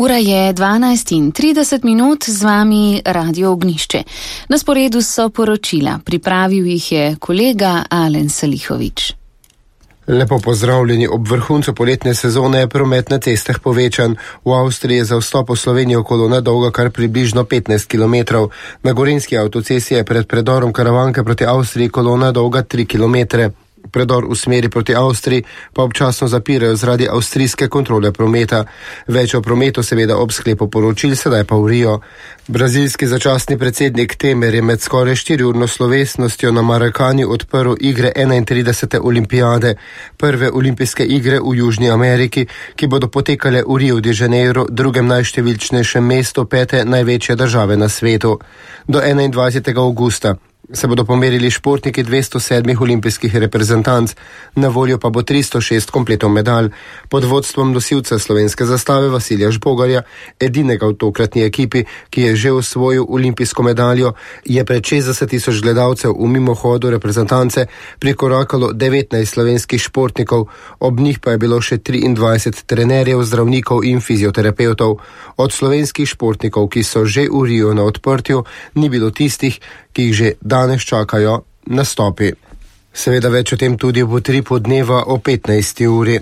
Ura je 12:30, z vami Radio Ognjišče. Na sporedu so poročila, pripravil jih je kolega Alen Salihovič. Lepo pozdravljeni. Ob vrhuncu poletne sezone je promet na cestah povečan. V Avstriji je za vstop v Slovenijo kolona dolga kar približno 15 km. Na gorenjski avtocesti je pred predorom Karavanke proti Avstriji kolona dolga 3 km. Predor v smeri proti Avstriji pa občasno zapirajo zaradi avstrijske kontrole prometa. Več o prometu seveda ob sklepu poročil, sedaj pa v Rio. Brazilski začasni predsednik Temer je med skoraj 4-urno slovesnostjo na Marakanju odprl igre 31. olimpijade, prve olimpijske igre v Južni Ameriki, ki bodo potekale v Rio de Janeiro, drugem najštevilčnejšem mestu 5. največje države na svetu. Do 21. avgusta se bodo pomerili športniki 207 olimpijskih reprezentanc, na voljo pa bo 306 kompletov medalj. Pod vodstvom nosilca slovenske zastave Vasilija Žbogarja, edinega v tokratni ekipi, ki je že osvojil olimpijsko medaljo, je pred 60.000 gledalcev v mimohodu reprezentance prikorakalo 19 slovenskih športnikov, ob njih pa je bilo še 23 trenerjev, zdravnikov in fizioterapevtov. Od slovenskih športnikov, ki so že v Rio na odprtju, ni bilo tistih, ki jih že danes čakajo nastopi. Seveda več o tem tudi v utripu dneva o 15. uri.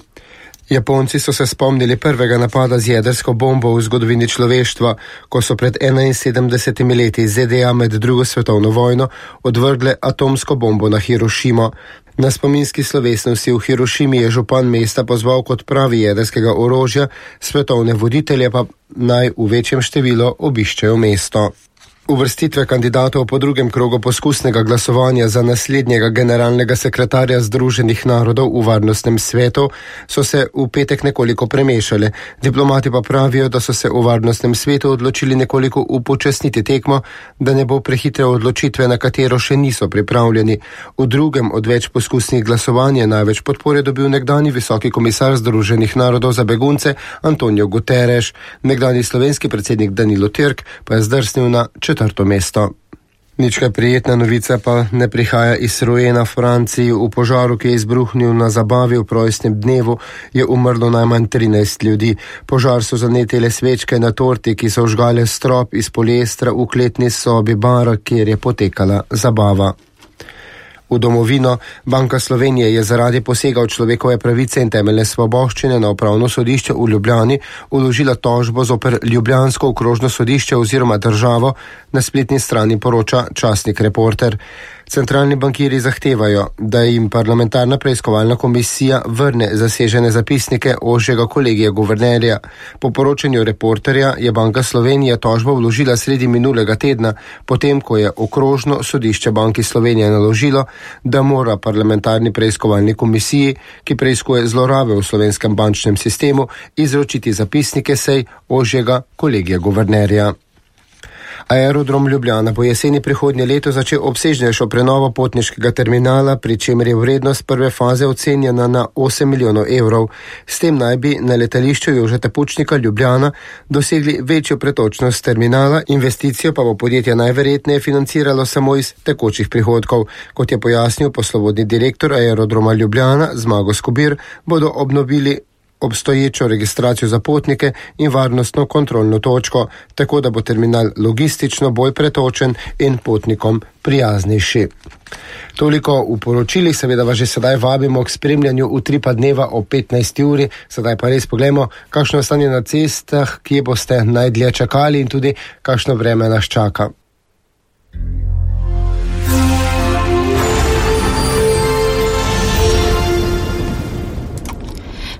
Japonci so se spomnili prvega napada z jedrsko bombo v zgodovini človeštva, ko so pred 71 leti ZDA med drugo svetovno vojno odvrgle atomsko bombo na Hirošimo. Na spominski slovesnosti v Hirošimi je župan mesta pozval k odpravi jedrskega orožja, svetovne voditelje pa naj v večjem številu obiščejo mesto. Uvrstitve kandidatov po drugem krogu poskusnega glasovanja za naslednjega generalnega sekretarja Združenih narodov v varnostnem svetu so se v petek nekoliko premešale. Diplomati pa pravijo, da so se v varnostnem svetu odločili nekoliko upočasniti tekmo, da ne bo prehitre odločitve, na katero še niso pripravljeni. V drugem od več poskusnih glasovanj je največ podpore dobil nekdani visoki komisar Združenih narodov za begunce Antonio Guterres. Nekdani slovenski predsednik Danilo Türk pa je zdrsnil na 4. mesto. Nič kaj prijetna novica pa ne prihaja iz Roena v Franciji. V požaru, ki je izbruhnil na zabavi v rojstnem dnevu, je umrlo najmanj 13 ljudi. Požar so zanetile svečke na torti, ki so vžgale strop iz poliestra v kletni sobi bara, kjer je potekala zabava. V domovino Banka Slovenije je zaradi posega v človekove pravice in temeljne svoboščine na Upravno sodišče v Ljubljani vložila tožbo zoper ljubljansko okrožno sodišče oziroma državo, na spletni strani poroča časnik Reporter. Centralni bankirji zahtevajo, da jim parlamentarna preiskovalna komisija vrne zasežene zapisnike ožjega kolegija guvernerja. Po poročanju Reporterja je Banka Slovenije tožbo vložila sredi minulega tedna, potem ko je okrožno sodišče Banki Slovenije naložilo, da mora parlamentarni preiskovalni komisiji, ki preiskuje zlorabe v slovenskem bančnem sistemu, izročiti zapisnike sej ožjega kolegija guvernerja. Aerodrom Ljubljana bo jeseni prihodnje leto začel obsežnejšo prenovo potniškega terminala, pri čemer je vrednost prve faze ocenjena na 8 milijonov evrov. S tem naj bi na letališču Jožeta Pučnika Ljubljana dosegli večjo pretočnost terminala, investicijo pa bo podjetje najverjetneje financiralo samo iz tekočih prihodkov. Kot je pojasnil poslovodni direktor Aerodroma Ljubljana Zmago Skobir, bodo obnovili obstoječo registracijo za potnike in varnostno kontrolno točko, tako da bo terminal logistično bolj pretočen in potnikom prijaznejši. Toliko v poročilih, seveda vas že sedaj vabimo k spremljanju utripa dneva o 15. uri. Sedaj pa res poglejmo, kakšno stanje na cestah, kje boste najdlje čakali in tudi kakšno vreme nas čaka.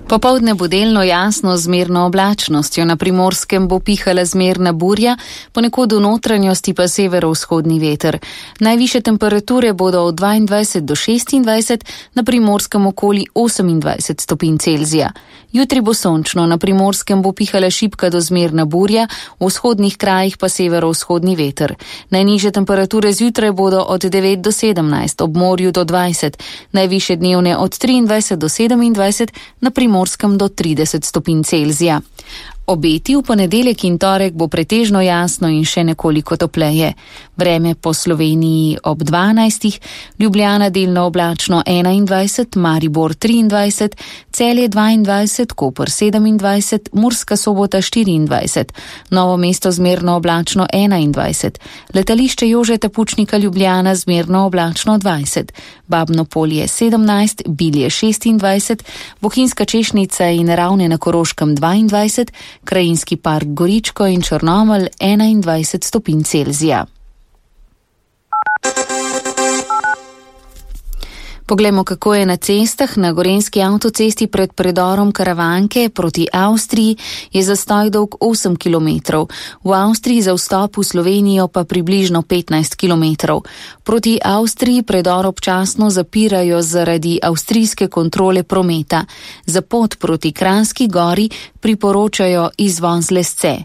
Popoldne bo delno jasno z zmerno oblačnostjo, na Primorskem bo pihala zmerna burja, ponekod v notranjosti pa severovzhodni veter. Najvišje temperature bodo od 22 do 26, na Primorskem okoli 28 stopinj Celzija. Jutri bo sončno, na Primorskem bo pihala šibka do zmerna burja, v vzhodnih krajih pa severovzhodni veter. Najnižje temperature zjutraj bodo od 9 do 17, ob morju do 20, najvišje dnevne od 23 do 27, na Primorskem do 30 stopinj Celzija. Obeti v ponedeljek in torek bo pretežno jasno in še nekoliko topleje. Vreme po Sloveniji ob 12, Ljubljana delno oblačno 21, Maribor 23, Celje 22, Koper 27, Murska Sobota 24, Novo mesto zmerno oblačno 21, letališče Jožeta Pučnika Ljubljana zmerno oblačno 20, Babno Polje 17, Bilje 26, Bohinjska Češnica in Ravne na Koroškem 22, Krajinski park Goričko in Črnomelj 21 stopinj Celzija. Poglejmo, kako je na cestah. Na gorenjski avtocesti pred predorom Karavanke proti Avstriji je zastoj dolg 8 km. V Avstriji za vstop v Slovenijo pa približno 15 km. Proti Avstriji predor občasno zapirajo zaradi avstrijske kontrole prometa. Za pot proti Kranjski gori priporočajo izvoz Lesce.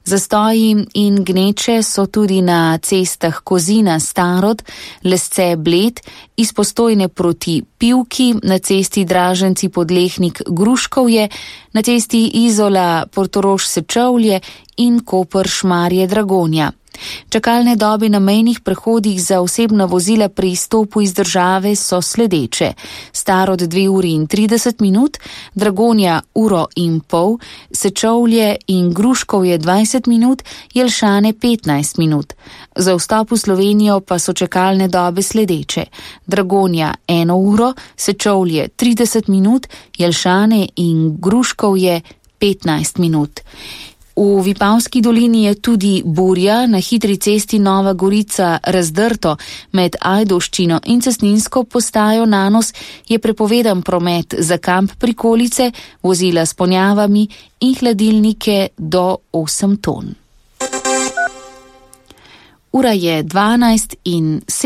Zastoji in gneče so tudi na cestah Kozina Starod, Lesce Bled, iz Postojne proti Pivki, na cesti Draženci Podlehnik Gruškovje, na cesti Izola Portorož Sečovlje in Koper Šmarje Dragonja. Čakalne dobe na mejnih prehodih za osebna vozila pri izstopu iz države so sledeče. Starod 2 uri in 30 minut, Dragonja 1 uro in pol, Sečovlje in Gruškovje 20 minut, Jelšane 15 minut. Za vstop v Slovenijo pa so čakalne dobe sledeče. Dragonja 1 uro, Sečovlje 30 minut, Jelšane in Gruškovje 15 minut. V Vipavski dolini je tudi burja, na hitri cesti Nova Gorica Razdrto med Ajdovščino in cestninsko postajo Nanos je prepovedan promet za kamp prikolice, vozila s ponjavami in hladilnike do 8 ton. Ura je 12 in